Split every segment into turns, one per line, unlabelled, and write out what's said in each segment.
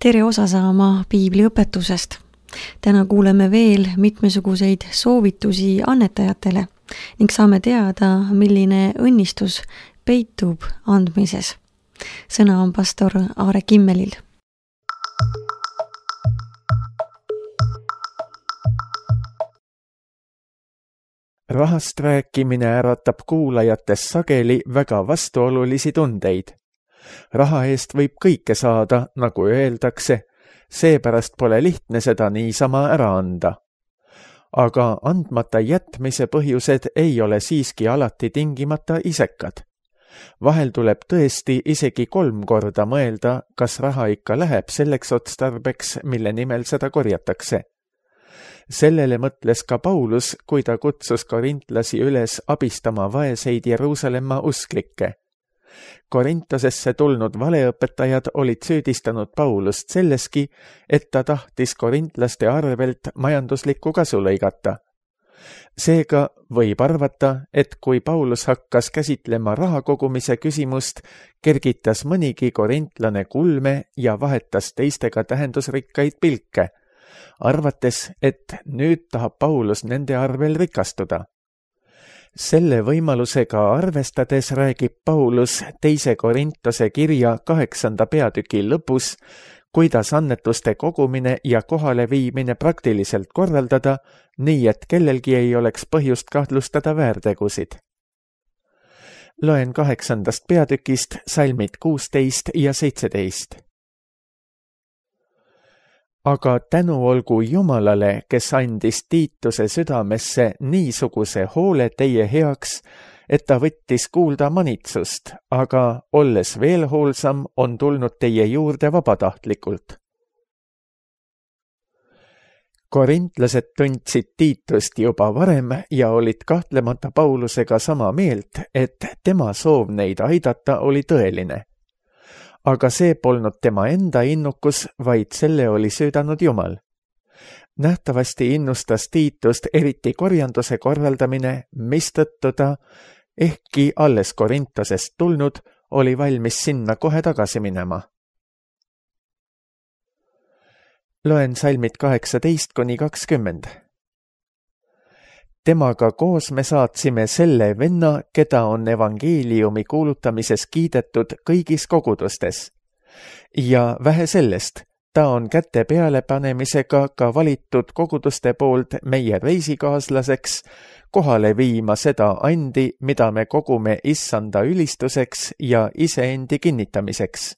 Tere osa saama piibliõpetusest. Täna kuuleme veel mitmesuguseid soovitusi annetajatele ning saame teada, milline õnnistus peitub andmises. Sõna on pastor Aare Kimmelil.
Rahast rääkimine äratab kuulajates sageli väga vastuolulisi tundeid. Raha eest võib kõike saada, nagu öeldakse, seepärast pole lihtne seda niisama ära anda. Aga andmata jätmise põhjused ei ole siiski alati tingimata isekad. Vahel tuleb tõesti isegi 3 korda mõelda, kas raha ikka läheb selleks otstarbeks, mille nimel seda korjatakse. Sellele mõtles ka Paulus, kui ta kutsus korintlasi üles abistama vaeseid Jeruusalemma usklikke. Korintosesse tulnud valeõpetajad olid süüdistanud Paulust selleski, et ta tahtis korintlaste arvelt majanduslikku kasu lõigata. Seega võib arvata, et kui Paulus hakkas käsitlema raha kogumise küsimust, kergitas mõnigi korintlane kulme ja vahetas teistega tähendusrikkaid pilke, arvates, et nüüd tahab Paulus nende arvel rikastuda. Selle võimalusega arvestades räägib Paulus 2. Korintose kirja 8. peatüki lõpus, kuidas annetuste kogumine ja kohale viimine praktiliselt korraldada, nii et kellelgi ei oleks põhjust kahtlustada väärtegusid. Loen 8. peatükist salmid 16 ja 17. Aga tänu olgu Jumalale, kes andis Tiituse südamesse niisuguse hoole teie heaks, et ta võttis kuulda manitsust, aga olles veel hoolsam, on tulnud teie juurde vabatahtlikult. Korintlased tundsid Tiitust juba varem ja olid kahtlemata Paulusega sama meelt, et tema soov neid aidata oli tõeline. Aga see polnud tema enda innukus, vaid selle oli süüdanud Jumal. Nähtavasti innustas Tiitust eriti korjanduse korraldamine, mistõttu ta, ehkki alles Korintosest tulnud, oli valmis sinna kohe tagasi minema. Loen salmid 18-20. Temaga koos me saatsime selle venna, keda on evangeeliumi kuulutamises kiidetud kõigis kogudustes. Ja vähe sellest, ta on käte peale panemisega ka valitud koguduste poolt meie reisikaaslaseks, kohale viima seda andi, mida me kogume issanda ülistuseks ja iseendi kinnitamiseks.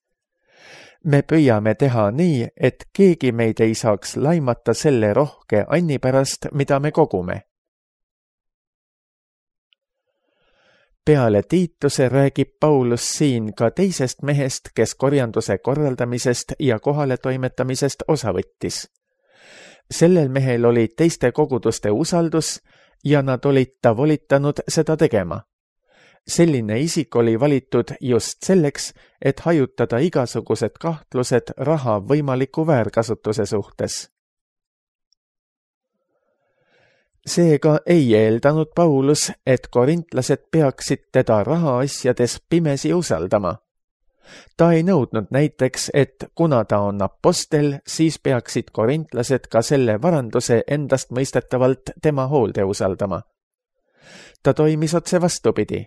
Me püüame teha nii, et keegi meid ei saaks laimata selle rohke anni pärast, mida me kogume. Peale Tiituse räägib Paulus siin ka teisest mehest, kes korjanduse korraldamisest ja kohale toimetamisest osa võttis. Sellel mehel oli teiste koguduste usaldus ja nad olid ta volitanud seda tegema. Selline isik oli valitud just selleks, et hajutada igasugused kahtlused raha võimaliku väärkasutuse suhtes. Seega ei eeldanud Paulus, et korintlased peaksid teda rahaasjades pimesi usaldama. Ta ei nõudnud näiteks, et kuna ta on apostel, siis peaksid korintlased ka selle varanduse endast mõistetavalt tema hoolde usaldama. Ta toimis otse vastupidi.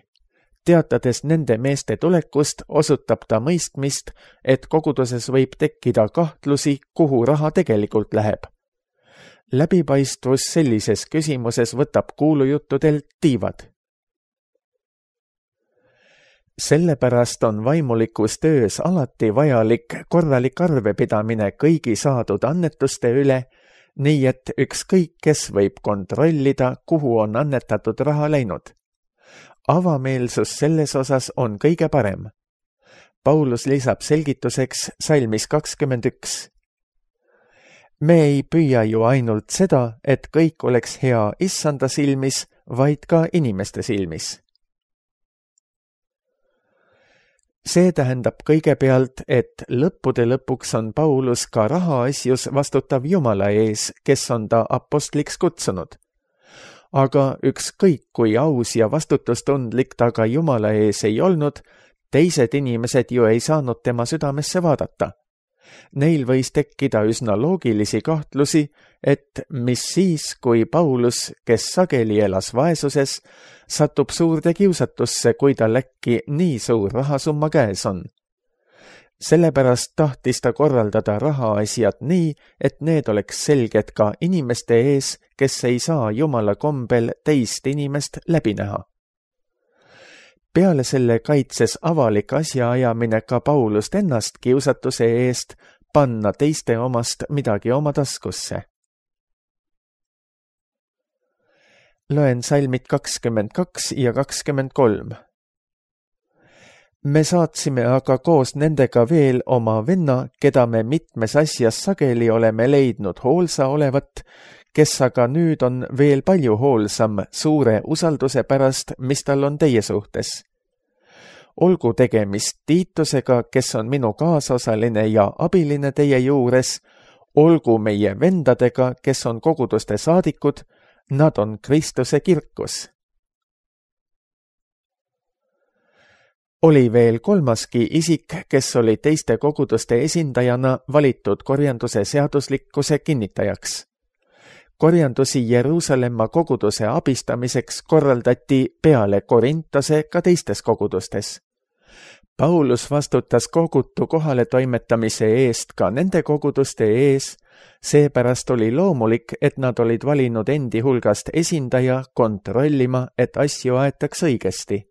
Teatades nende meeste tulekust, osutab ta mõistmist, et koguduses võib tekkida kahtlusi, kuhu raha tegelikult läheb. Läbipaistvus sellises küsimuses võtab kuulujuttudelt tiivad. Sellepärast on vaimulikus töös alati vajalik korralik arvepidamine kõigi saadud annetuste üle, nii et ükskõik kes võib kontrollida, kuhu on annetatud raha läinud. Avameelsus selles osas on kõige parem. Paulus lisab selgituseks salmis 21. Me ei püüa ju ainult seda, et kõik oleks hea issanda silmis, vaid ka inimeste silmis. See tähendab kõigepealt, et lõppude lõpuks on Paulus ka rahaasjus vastutav Jumala ees, kes on ta apostliks kutsunud. Aga ükskõik kui aus ja vastutustundlik ta ka Jumala ees ei olnud, teised inimesed ju ei saanud tema südamesse vaadata. Neil võis tekkida üsna loogilisi kahtlusi, et mis siis, kui Paulus, kes sageli elas vaesuses, satub suurde kiusatusse, kui tal äkki nii suur rahasumma käes on. Sellepärast tahtis ta korraldada rahaasjad nii, et need oleks selged ka inimeste ees, kes ei saa jumala kombel teist inimest läbi näha. Peale selle kaitses avalik asjaajamine ka Paulust ennast kiusatuse eest panna teiste omast midagi oma taskusse. Loen salmid 22 ja 23. Me saatsime aga koos nendega veel oma venna, keda me mitmes asjas sageli oleme leidnud hoolsa olevat, kes aga nüüd on veel palju hoolsam suure usalduse pärast, mis tal on teie suhtes. Olgu tegemist Tiitusega, kes on minu kaasosaline ja abiline teie juures, olgu meie vendadega, kes on koguduste saadikud, nad on Kristuse kirkus. Oli veel kolmaski isik, kes oli teiste koguduste esindajana valitud korjanduse seaduslikkuse kinnitajaks. Korjandusi Jeruusalemma koguduse abistamiseks korraldati peale Korintose ka teistes kogudustes. Paulus vastutas kogutu kohale toimetamise eest ka nende koguduste ees, seepärast oli loomulik, et nad olid valinud endi hulgast esindaja kontrollima, et asju aetaks õigesti.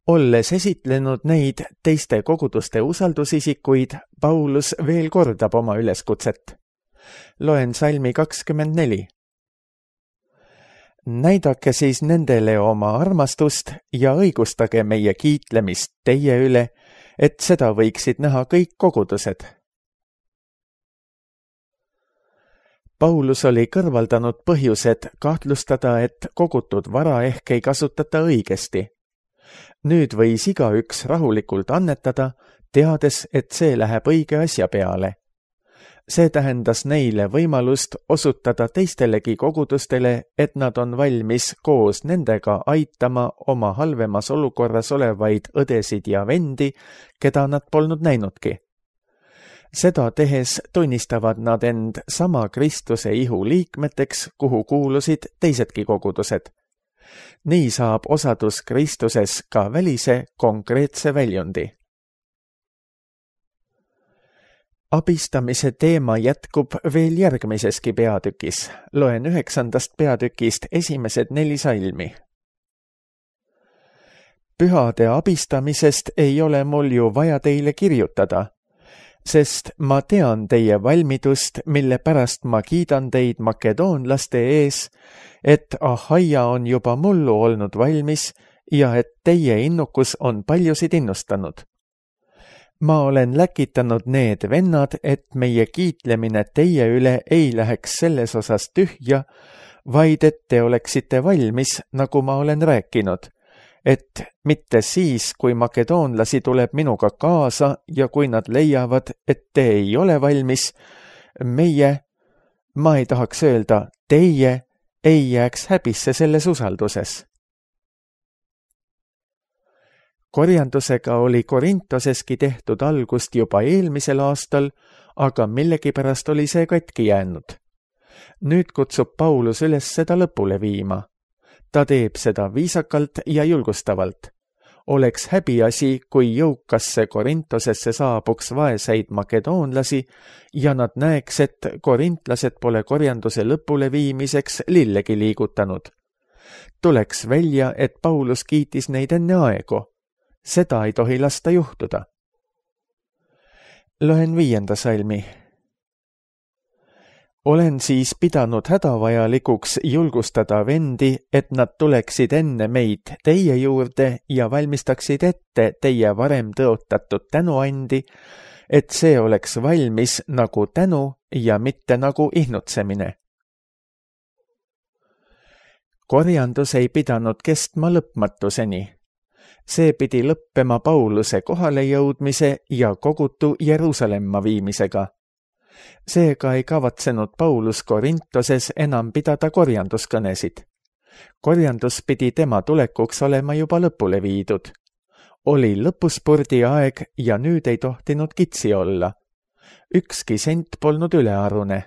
Olles esitlenud neid teiste koguduste usaldusisikuid, Paulus veel kordab oma üleskutset. Loen salmi 24. Näidake siis nendele oma armastust ja õigustage meie kiitlemist teie üle, et seda võiksid näha kõik kogudused. Paulus oli kõrvaldanud põhjused kahtlustada, et kogutud vara ehk ei kasutata õigesti. Nüüd võis igaüks rahulikult annetada, teades, et see läheb õige asja peale. See tähendas neile võimalust osutada teistelegi kogudustele, et nad on valmis koos nendega aitama oma halvemas olukorras olevaid õdesid ja vendi, keda nad polnud näinudki. Seda tehes tunnistavad nad end sama Kristuse ihu liikmeteks, kuhu kuulusid teisedki kogudused. Nii saab osadus Kristuses ka välise konkreetse väljundi. Abistamise teema jätkub veel järgmiseski peatükis. Loen 9. peatükist esimesed 4 salmi. Pühade abistamisest ei ole mul ju vaja teile kirjutada, sest ma tean teie valmidust, mille pärast ma kiidan teid makedoonlaste ees, et Ahaia on juba mullu olnud valmis ja et teie innukus on paljusid innustanud. Ma olen läkitanud need vennad, et meie kiitlemine teie üle ei läheks selles osas tühja, vaid et te oleksite valmis, nagu ma olen rääkinud, et mitte siis, kui makedoonlasi tuleb minuga kaasa ja kui nad leiavad, et te ei ole valmis, ma ei tahaks öelda, teie ei jääks häbisse selles usalduses. Korjandusega oli Korintoseski tehtud algust juba eelmisel aastal, aga millegipärast oli see katki jäänud. Nüüd kutsub Paulus üles seda lõpule viima. Ta teeb seda viisakalt ja julgustavalt. Oleks häbiasi, kui jõukasse Korintosesse saabuks vaeseid makedoonlasi ja nad näeks, et korintlased pole korjanduse lõpule viimiseks lillegi liigutanud. Tuleks välja, et Paulus kiitis neid enne aegu. Seda ei tohi lasta juhtuda. Loen 5. salmi. Olen siis pidanud hädavajalikuks julgustada vendi, et nad tuleksid enne meid teie juurde ja valmistaksid ette teie varem tõotatud tänuandi, et see oleks valmis nagu tänu ja mitte nagu ihnutsemine. Korjandus ei pidanud kestma lõpmatuseni. See pidi lõppema Pauluse kohalejõudmise ja kogutu Jeruusalemma viimisega. Seega ei kavatsenud Paulus Korintoses enam pidada korjanduskõnesid. korjandus pidi tema tulekuks olema juba lõpule viidud. Oli lõpuspurdi aeg ja nüüd ei tohtinud kitsi olla. Ükski sent polnud ülearune.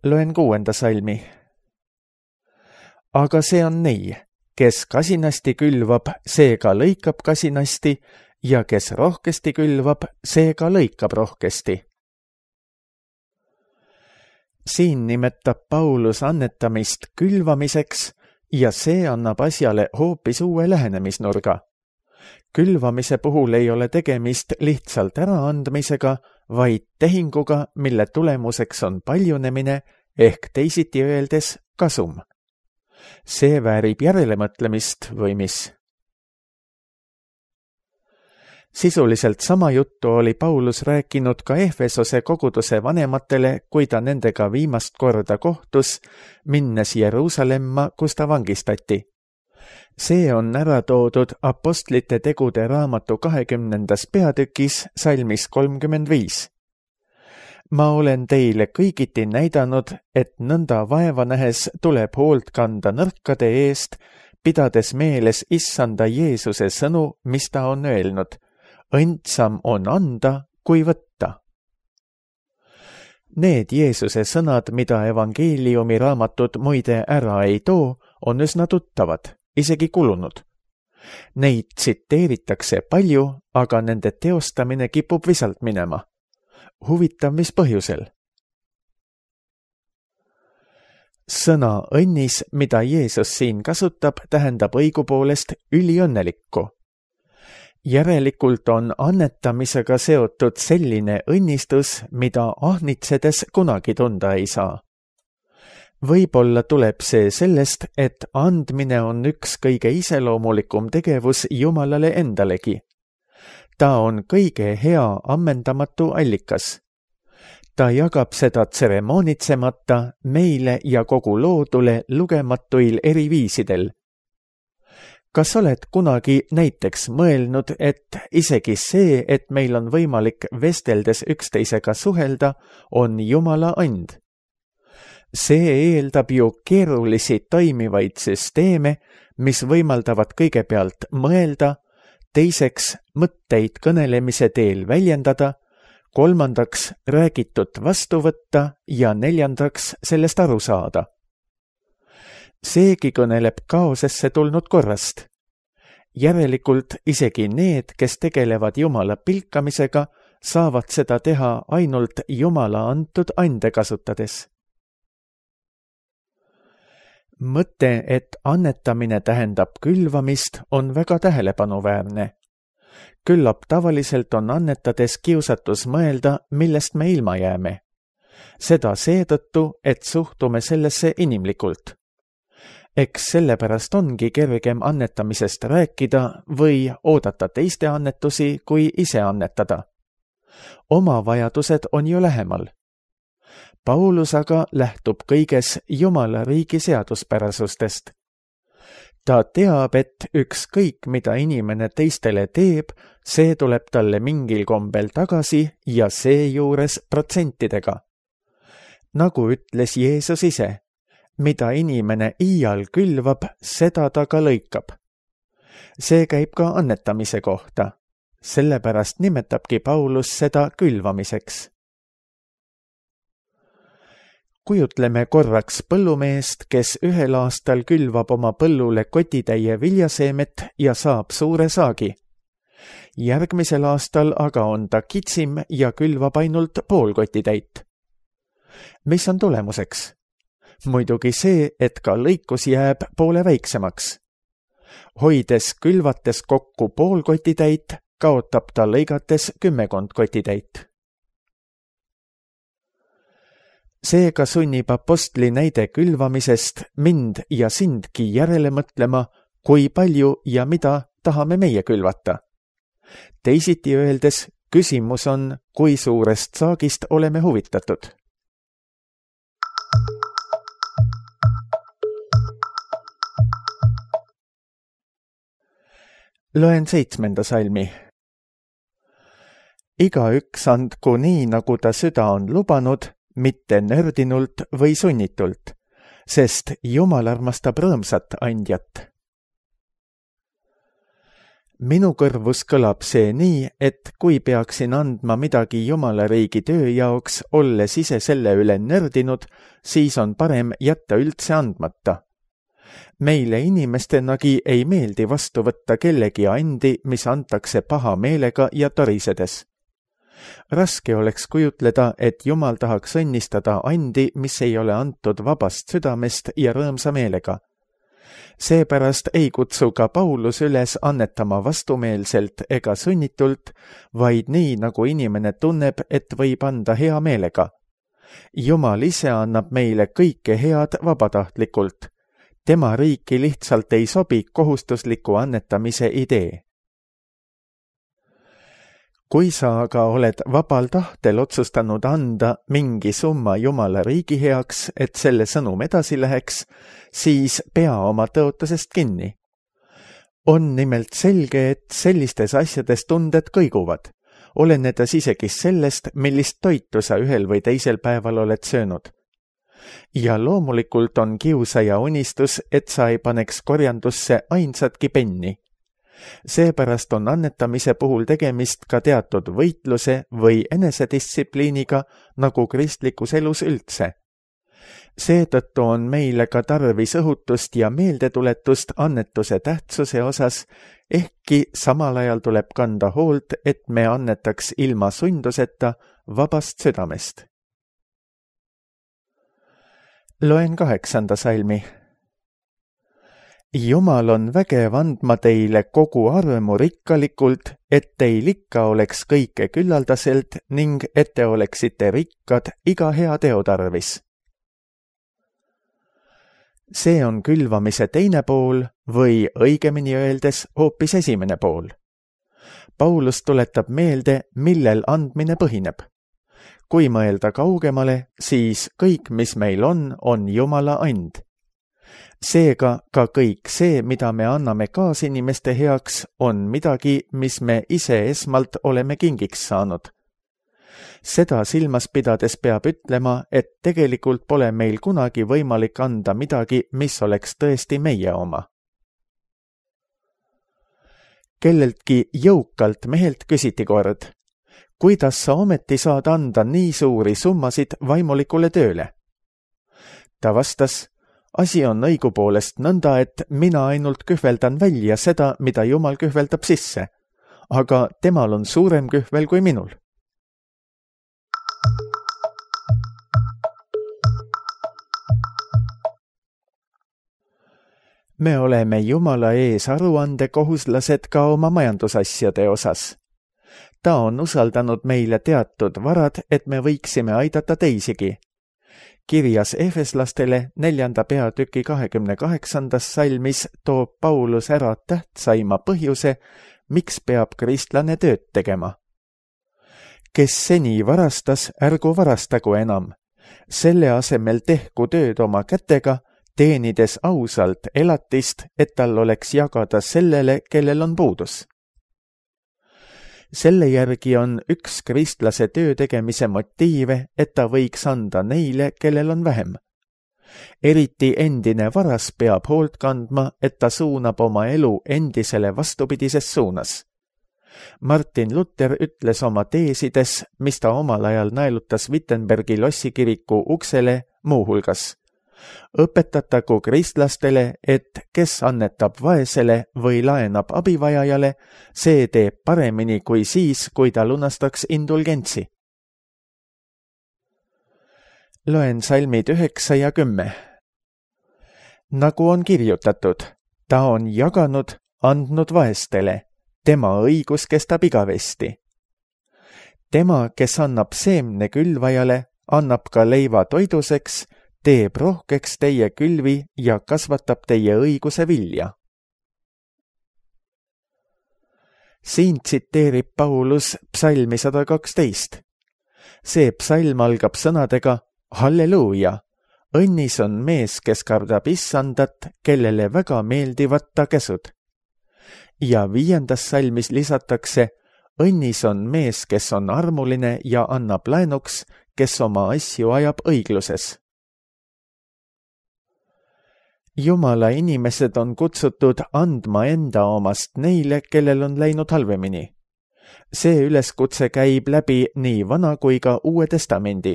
Loen 6. salmi. Aga see on nii, kes kasinasti külvab, see ka lõikab kasinasti, ja kes rohkesti külvab, see ka lõikab rohkesti. Siin nimetab Paulus annetamist külvamiseks ja see annab asjale hoopis uue lähenemisnurga. Külvamise puhul ei ole tegemist lihtsalt äraandmisega, vaid tehinguga, mille tulemuseks on paljunemine ehk teisiti öeldes kasum. See väärib järelemõtlemist või mis? Sisuliselt sama juttu oli Paulus rääkinud ka Efesose koguduse vanematele, kui ta nendega viimast korda kohtus, minnes Jeruusalemma, kus ta vangistati. See on ära toodud Apostlite tegude raamatu 20. peatükis salmis 35. Ma olen teile kõigiti näidanud, et nõnda vaeva nähes tuleb hoolt kanda nõrkade eest, pidades meeles Issanda Jeesuse sõnu, mis ta on öelnud. Õndsam on anda, kui võtta. Need Jeesuse sõnad, mida evangeeliumi raamatud muide ära ei too, on üsna tuttavad, isegi kulunud. Neid tsiteeritakse palju, aga nende teostamine kipub visalt minema. Huvitav, mis põhjusel? Sõna õnnis, mida Jeesus siin kasutab, tähendab õigupoolest üliõnnelikku. Järelikult on annetamisega seotud selline õnnistus, mida ahnitsedes kunagi tunda ei saa. Võib-olla tuleb see sellest, et andmine on üks kõige iseloomulikum tegevus Jumalale endalegi. Ta on kõige hea ammendamatu allikas. Ta jagab seda tseremoonitsemata meile ja kogu loodule lugematuil eri viisidel. Kas oled kunagi näiteks mõelnud, et isegi see, et meil on võimalik vesteldes üksteisega suhelda, on Jumala and? See eeldab ju keerulisi toimivaid süsteeme, mis võimaldavad kõigepealt mõelda, teiseks mõtteid kõnelemise teel väljendada, kolmandaks räägitut vastu võtta ja neljandaks sellest aru saada. Seegi kõneleb kaosesse tulnud korrast. Järelikult isegi need, kes tegelevad Jumala pilkamisega, saavad seda teha ainult Jumala antud ande kasutades. Mõte, et annetamine tähendab külvamist, on väga tähelepanuväärne. Küllap tavaliselt on annetades kiusatus mõelda, millest me ilma jääme. Seda seetõttu, et suhtume sellesse inimlikult. Eks sellepärast ongi kergem annetamisest rääkida või oodata teiste annetusi, kui ise annetada. Oma vajadused on ju lähemal. Paulus aga lähtub kõiges Jumala riigi seaduspärasustest. Ta teab, et ükskõik, mida inimene teistele teeb, see tuleb talle mingil kombel tagasi ja seejuures protsentidega. Nagu ütles Jeesus ise, mida inimene iial külvab, seda ta ka lõikab. See käib ka annetamise kohta. Sellepärast nimetabki Paulus seda külvamiseks. Kujutleme korraks põllumeest, kes ühel aastal külvab oma põllule kotitäie viljaseemet ja saab suure saagi. Järgmisel aastal aga on ta kitsim ja külvab ainult pool kotitäit. Mis on tulemuseks? Muidugi see, et ka lõikus jääb poole väiksemaks. Hoides külvates kokku pool kotitäit, kaotab ta lõigates 10 kotitäit. Seega sunnib apostli näide külvamisest mind ja sindki järele mõtlema, kui palju ja mida tahame meie külvata. Teisiti öeldes, küsimus on, kui suurest saagist oleme huvitatud. Loen 7. salmi. igaüks andku nii, nagu ta süda on lubanud, mitte nördinult või sunnitult, sest Jumal armastab rõõmsat andjat. Minu kõrvus kõlab see nii, et kui peaksin andma midagi Jumala riigi töö jaoks, olles ise selle üle nördinud, siis on parem jätta üldse andmata. Meile inimestenagi ei meeldi vastu võtta kellegi andi, mis antakse paha meelega ja torisedes. Raske oleks kujutleda, et Jumal tahaks õnnistada andi, mis ei ole antud vabast südamest ja rõõmsa meelega. Seepärast ei kutsu ka Paulus üles annetama vastumeelselt ega sunnitult, vaid nii, nagu inimene tunneb, et võib anda hea meelega. Jumal ise annab meile kõike head vabatahtlikult. Tema riiki lihtsalt ei sobi kohustusliku annetamise idee. Kui sa aga oled vabal tahtel otsustanud anda mingi summa Jumala riigi heaks, et selle sõnum edasi läheks, siis pea oma tõotusest kinni. On nimelt selge, et sellistes asjades tunded kõiguvad, olenedes isegi sellest, millist toitu sa ühel või teisel päeval oled söönud. Ja loomulikult on kiusaja unistus, et sa ei paneks korjandusse ainsatki penni. Seepärast on annetamise puhul tegemist ka teatud võitluse või enesedistsipliiniga, nagu kristlikus elus üldse. Seetõttu on meile ka tarvis õhutust ja meeldetuletust annetuse tähtsuse osas, ehkki samal ajal tuleb kanda hoolt, et me annetaks ilma sunduseta vabast südamest. Loen 8. salmi. Jumal on vägev andma teile kogu armu rikkalikult, et teil ikka oleks kõike küllaldaselt ning et te oleksite rikkad iga hea teo tarvis. See on külvamise teine pool või õigemini öeldes hoopis esimene pool. Paulus tuletab meelde, millel andmine põhineb. Kui mõelda kaugemale, siis kõik, mis meil on Jumala and. Seega ka kõik see, mida me anname kaasinimeste heaks, on midagi, mis me ise esmalt oleme kingiks saanud. Seda silmas pidades peab ütlema, et tegelikult pole meil kunagi võimalik anda midagi, mis oleks tõesti meie oma. Kelleltki jõukalt mehelt küsiti kord, kuidas sa ometi saad anda nii suuri summasid vaimulikule tööle? Ta vastas, asi on õigupoolest nõnda, et mina ainult kühveldan välja seda, mida Jumal kühveldab sisse, aga temal on suurem kühvel kui minul. Me oleme Jumala ees aruandekohuslased ka oma majandusasjade osas. Ta on usaldanud meile teatud varad, et me võiksime aidata teisigi. Kirjas Efeslastele 4. peatüki 28. salmis toob Paulus ära tähtsaima põhjuse, miks peab kristlane tööd tegema. Kes seni varastas, ärgu varastagu enam. Selle asemel tehku tööd oma kätega, teenides ausalt elatist, et tal oleks jagada sellele, kellel on puudus. Selle järgi on üks kristlase töö tegemise motiive, et ta võiks anda neile, kellel on vähem. Eriti endine varas peab hoolt kandma, et ta suunab oma elu endisele vastupidises suunas. Martin Luther ütles oma teesides, mis ta omal ajal naelutas Wittenbergi lossikiriku uksele muuhulgas. Õpetatagu kristlastele, et kes annetab vaesele või laenab abivajajale, see teeb paremini kui siis, kui ta lunastaks indulgentsi. Loen salmid 9 ja 10. Nagu on kirjutatud, ta on jaganud, andnud vaestele, tema õigus kestab igavesti. Tema, kes annab seemne külvajale, annab ka leiva toiduseks, teeb rohkeks teie külvi ja kasvatab teie õiguse vilja. Siin tsiteerib Paulus psalmi 112. See psalm algab sõnadega Halleluuja, õnnis on mees, kes kardab issandat, kellele väga meeldivad ta käsud. Ja 5. salmis lisatakse õnnis on mees, kes on armuline ja annab laenuks, kes oma asju ajab õigluses. Jumala inimesed on kutsutud andma enda omast neile, kellel on läinud halvemini. See üleskutse käib läbi nii Vana kui ka Uue Testamendi.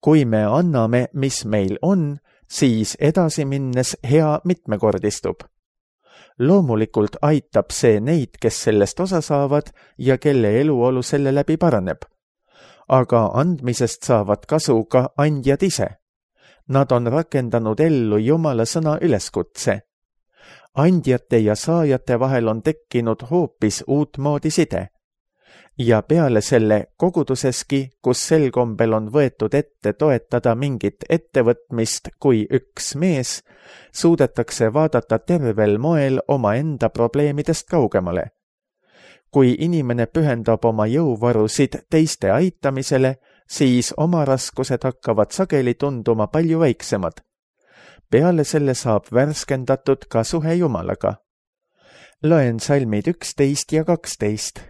Kui me anname, mis meil on, siis edasi minnes hea mitmekordistub. Loomulikult aitab see neid, kes sellest osa saavad ja kelle eluolu selle läbi paraneb. Aga andmisest saavad kasu ka andjad ise. Nad on rakendanud ellu Jumala sõna üleskutse. Andjate ja saajate vahel on tekkinud hoopis uutmoodi side. Ja peale selle koguduseski, kus sel kombel on võetud ette toetada mingit ettevõtmist kui üks mees, suudetakse vaadata tervel moel omaenda probleemidest kaugemale. Kui inimene pühendab oma jõuvarusid teiste aitamisele, siis oma raskused hakkavad sageli tunduma palju väiksemad. Peale selle saab värskendatud ka suhe Jumalaga. Loen salmid 11 ja 12.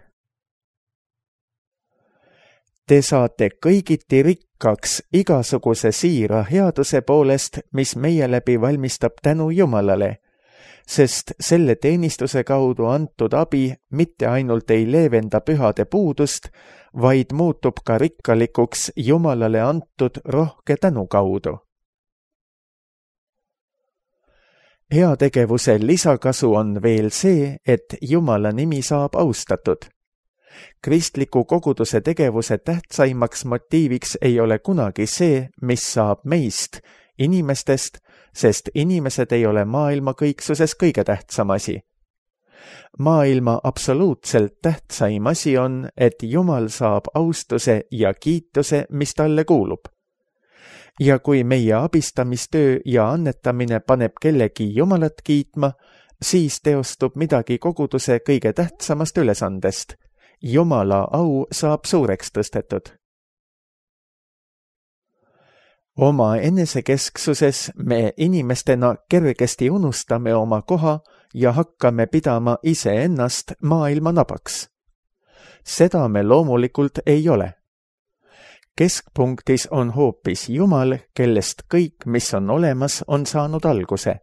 Te saate kõigiti rikkaks igasuguse siira headuse poolest, mis meie läbi valmistab tänu Jumalale, sest selle teenistuse kaudu antud abi mitte ainult ei leevenda pühade puudust, vaid muutub ka rikkalikuks Jumalale antud rohke tänu kaudu. Heategevuse lisakasu on veel see, et Jumala nimi saab austatud. Kristliku koguduse tegevuse tähtsaimaks motiiviks ei ole kunagi see, mis saab meist, inimestest, sest inimesed ei ole maailma kõiksuses kõige tähtsam asi. Maailma absoluutselt tähtsaim asi on, et Jumal saab austuse ja kiituse, mis talle kuulub. Ja kui meie abistamistöö ja annetamine paneb kellegi Jumalat kiitma, siis teostub midagi koguduse kõige tähtsamast ülesandest. Jumala au saab suureks tõstetud. Oma enesekesksuses me inimestena kergesti unustame oma koha ja hakkame pidama iseennast maailma nabaks. Seda me loomulikult ei ole. Keskpunktis on hoopis Jumal, kellest kõik, mis on olemas, on saanud alguse.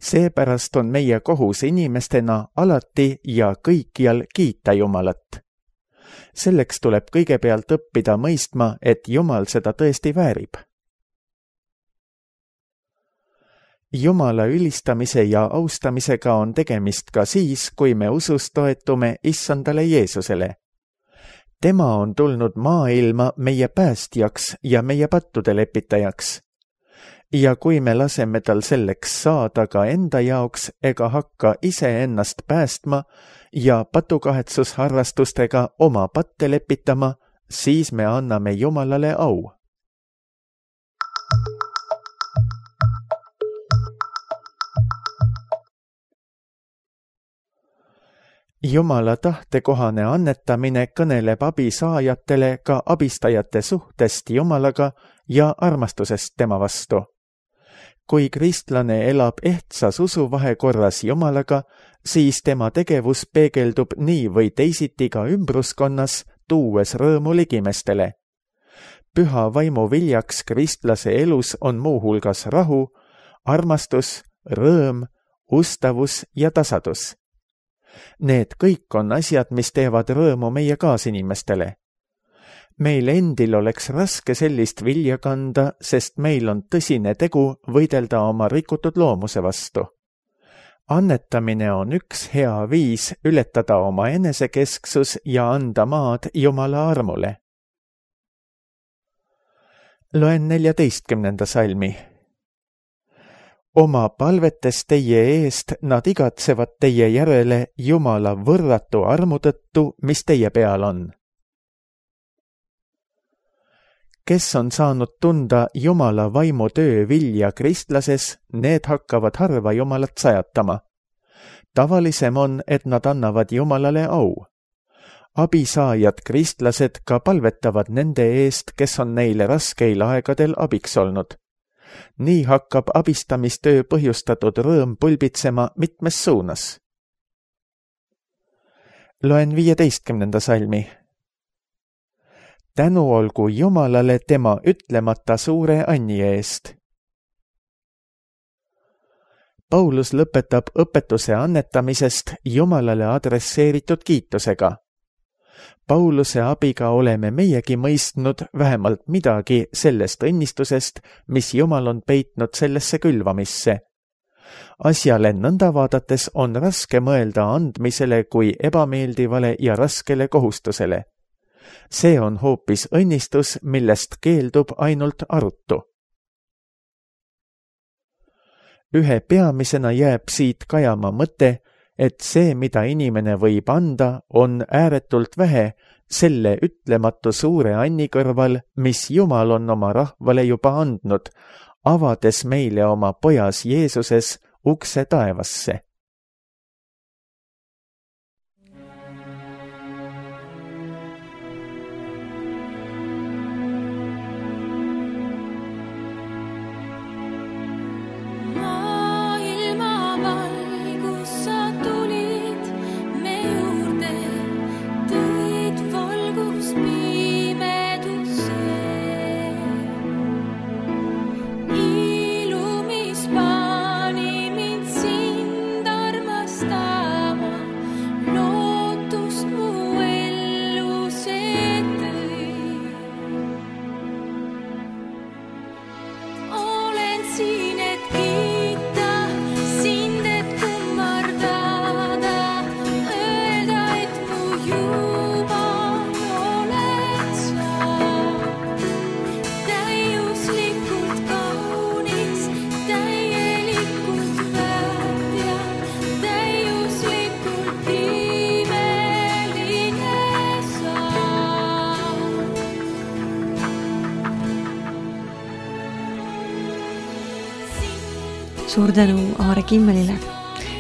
Seepärast on meie kohus inimestena alati ja kõikjal kiita Jumalat. Selleks tuleb kõigepealt õppida mõistma, et Jumal seda tõesti väärib. Jumala ülistamise ja austamisega on tegemist ka siis, kui me usus toetume Issandale Jeesusele. Tema on tulnud maailma meie päästjaks ja meie pattude lepitajaks. Ja kui me laseme tal selleks saada ka enda jaoks ega hakka iseennast päästma ja patukahetsusharrastustega oma patte lepitama, siis me anname Jumalale au. Jumala tahtekohane annetamine kõneleb abisaajatele ka abistajate suhtest Jumalaga ja armastusest tema vastu. Kui kristlane elab ehtsas usuvahekorras Jumalaga, siis tema tegevus peegeldub nii või teisiti ka ümbruskonnas, tuues rõõmu ligimestele. Püha vaimu viljaks kristlase elus on muuhulgas rahu, armastus, rõõm, ustavus ja tasadus. Need kõik on asjad, mis teevad rõõmu meie kaasinimestele. Meil endil oleks raske sellist vilja kanda, sest meil on tõsine tegu võidelda oma rikutud loomuse vastu. Annetamine on üks hea viis ületada oma enesekesksus ja anda maad Jumala armule. Loen 14. salmi. Oma palvetes teie eest nad igatsevad teie järele Jumala võrratu armu tõttu, mis teie peal on. Kes on saanud tunda Jumala vaimu töö vilja kristlases, need hakkavad harva Jumalat sajatama. Tavalisem on, et nad annavad Jumalale au. Abisaajad kristlased ka palvetavad nende eest, kes on neile raskeil aegadel abiks olnud. Nii hakkab abistamistöö põhjustatud rõõm pulbitsema mitmes suunas. Loen 15. salmi. Tänu olgu Jumalale tema ütlemata suure anni eest. Paulus lõpetab õpetuse annetamisest Jumalale adresseeritud kiitusega. Pauluse abiga oleme meiegi mõistnud vähemalt midagi sellest õnnistusest, mis Jumal on peitnud sellesse külvamisse. Asjale nõnda vaadates on raske mõelda andmisele kui ebameeldivale ja raskele kohustusele. See on hoopis õnnistus, millest keeldub ainult arutu. Ühe peamisena jääb siit kajama mõte, et see, mida inimene võib anda, on ääretult vähe selle ütlematu suure anni kõrval, mis Jumal on oma rahvale juba andnud, avades meile oma pojas Jeesuses ukse taevasse.
Suur tänu Aare Kimmelile.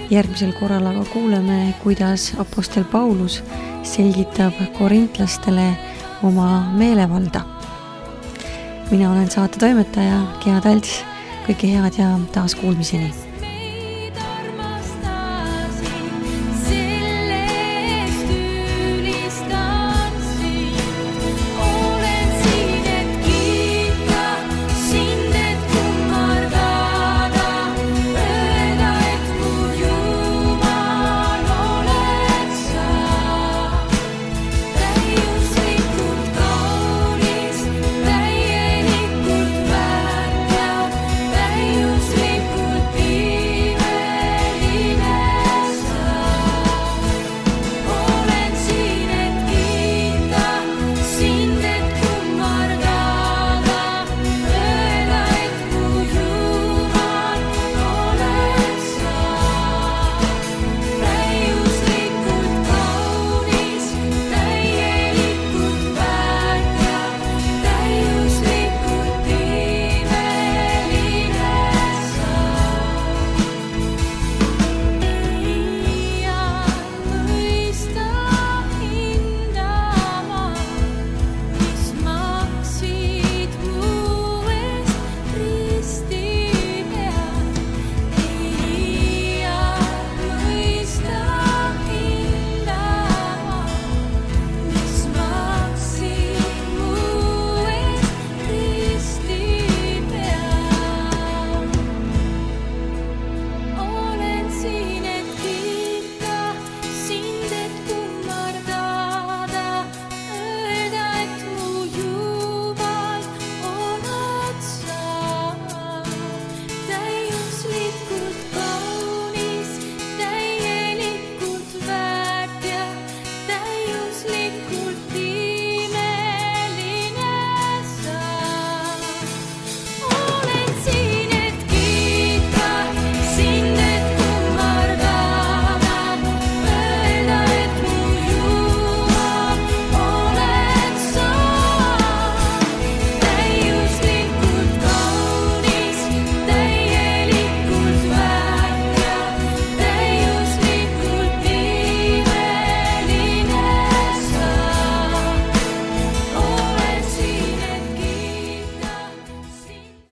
Järgmisel korral aga kuuleme, kuidas apostel Paulus selgitab korintlastele oma meelevalda. Mina olen saate toimetaja Gea Talts. Kõike head ja taas kuulmiseni!